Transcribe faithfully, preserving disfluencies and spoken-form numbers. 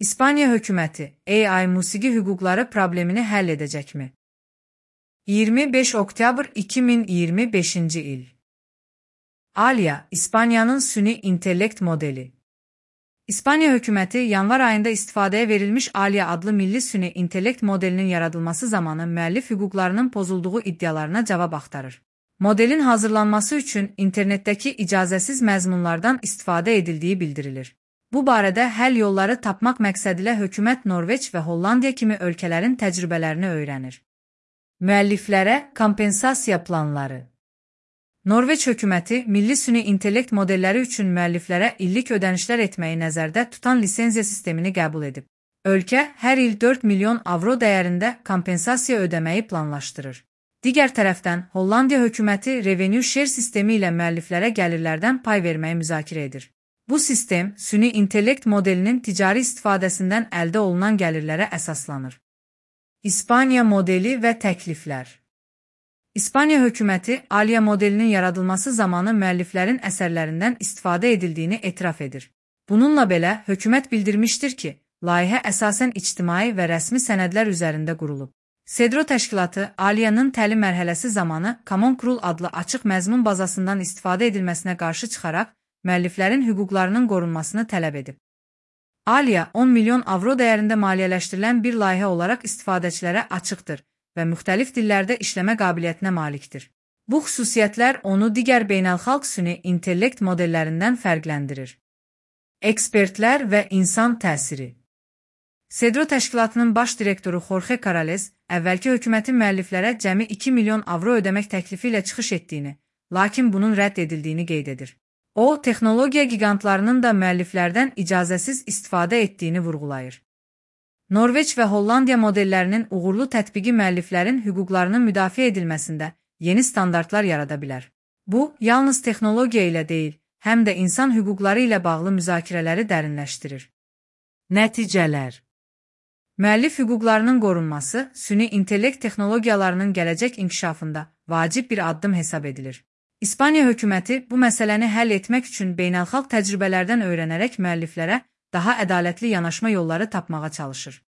İspanya hökuməti A I musiqi hüquqları problemini həll edəcəkmi? iyirmi beş oktyabr iki min iyirmi beşinci il. Alia, İspaniyanın süni intellekt modeli. İspanya hökuməti yanvar ayında istifadəyə verilmiş Alia adlı milli süni intellekt modelinin yaradılması zamanı müəllif hüquqlarının pozulduğu iddialarına cavab axtarır. Modelin hazırlanması üçün internetdəki icazəsiz məzmunlardan istifadə edildiyi bildirilir. Bu barədə həll yolları tapmaq məqsədilə hökumət Norveç və Hollandiya kimi ölkələrin təcrübələrini öyrənir. Müəlliflərə kompensasiya planları. Norveç hökuməti milli süni intellekt modelləri üçün müəlliflərə illik ödənişlər etməyi nəzərdə tutan lisenziya sistemini qəbul edib. Ölkə hər il dörd milyon avro dəyərində kompensasiya ödəməyi planlaşdırır. Digər tərəfdən, Hollandiya hökuməti revenue share sistemi ilə müəlliflərə gəlirlərdən pay verməyi müzakirə edir. Bu sistem, süni intellekt modelinin ticari istifadəsindən əldə olunan gəlirlərə əsaslanır. İspaniya modeli və təkliflər. İspaniya hökuməti Alia modelinin yaradılması zamanı müəlliflərin əsərlərindən istifadə edildiyini etiraf edir. Bununla belə, hökumət bildirmişdir ki, layihə əsasən ictimai və rəsmi sənədlər üzərində qurulub. Cedro təşkilatı Alia'nın təlim mərhələsi zamanı Common Crawl adlı açıq məzmun bazasından istifadə edilməsinə qarşı çıxaraq, müəlliflərin hüquqlarının qorunmasını tələb edib. Alia on milyon avro dəyərində maliyyələşdirilən bir layihə olaraq istifadəçilərə açıqdır və müxtəlif dillərdə işləmə qabiliyyətinə malikdir. Bu xüsusiyyətlər onu digər beynəlxalq süni intellekt modellərindən fərqləndirir. Ekspertlər və insan təsiri. Cedro təşkilatının baş direktoru Jorge Corrales, əvvəlki hökumətin müəlliflərə cəmi iki milyon avro ödəmək təklifi ilə çıxış etdiyini, lakin bunun rədd edildiyini qeyd edir. O, texnologiya gigantlarının da müəlliflərdən icazəsiz istifadə etdiyini vurğulayır. Norveç və Hollandiya modellərinin uğurlu tətbiqi müəlliflərin hüquqlarının müdafiə edilməsində yeni standartlar yarada bilər. Bu, yalnız texnologiya ilə deyil, həm də insan hüquqları ilə bağlı müzakirələri dərinləşdirir. Nəticələr. Müəllif hüquqlarının qorunması, süni intellekt texnologiyalarının gələcək inkişafında vacib bir addım hesab edilir. İspaniya hökuməti bu məsələni həll etmək üçün beynəlxalq təcrübələrdən öyrənərək müəlliflərə daha ədalətli yanaşma yolları tapmağa çalışır.